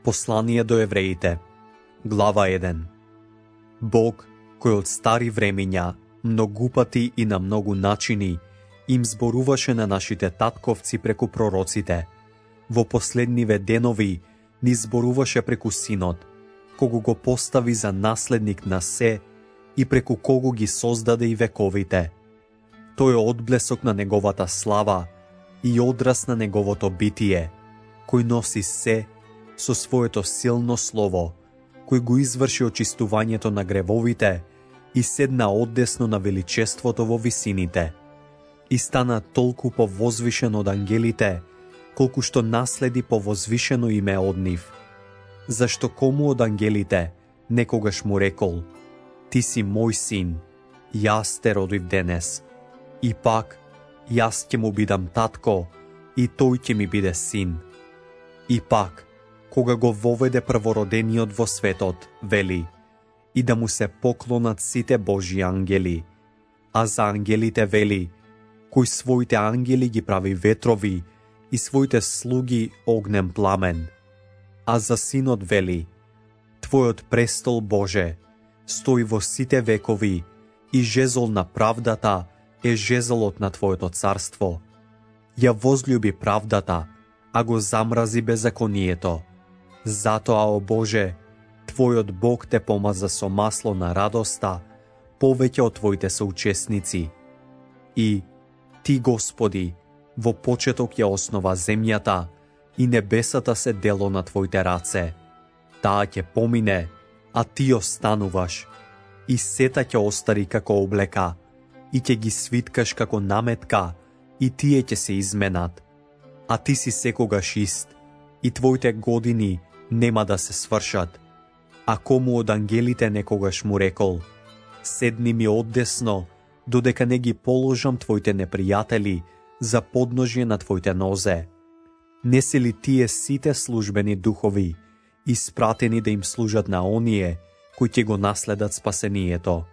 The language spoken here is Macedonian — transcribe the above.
Послание до евреите, глава 1. Бог, кој од стари времења, многу пати и на многу начини, им зборуваше на нашите татковци преку пророците, во последниве денови ни зборуваше преку Синот, кого го постави за наследник на се и преку кого ги создаде и вековите. Тој е одблесок на неговата слава и одраз на неговото битие, кој носи се со своето силно слово, кој го изврши очистувањето на гревовите и седна одесно на величеството во висините. И стана толку повозвишен од ангелите, колку што наследи повозвишено име од нив. Зашто кому од ангелите некогаш му рекол: Ти си мој син, јас те родив денес. И пак, јас ќе му бидам татко, и тој ќе ми биде син. И пак, кога го воведе првородениот во светот, вели: И да му се поклонат сите Божји ангели. А за ангелите вели: Кој своите ангели ги прави ветрови и своите слуги огнен пламен. А за синот вели: Твојот престол, Боже, стои во сите векови и жезол на правдата е жезолот на Твоето царство. Ја возлюби правдата, а го замрази беззаконието. Затоа, о Боже, Твојот Бог те помаза со масло на радоста, повеќе од Твоите соучесници. И Ти, Господи, во почеток ја основа земјата и небесата се дело на Твоите раце. Таа ќе помине, а Ти остануваш, и сета ќе остари како облека, и ќе ги свиткаш како наметка, и тие ќе се изменат. А Ти си секогаш ист, и Твоите години нема да се свршат. А кому од ангелите некогаш му рекол: Седни ми одесно, додека не ги положам Твоите непријатели за подножје на Твоите нозе. Не се ли тие сите службени духови, испратени да им служат на оние кои ќе го наследат спасението?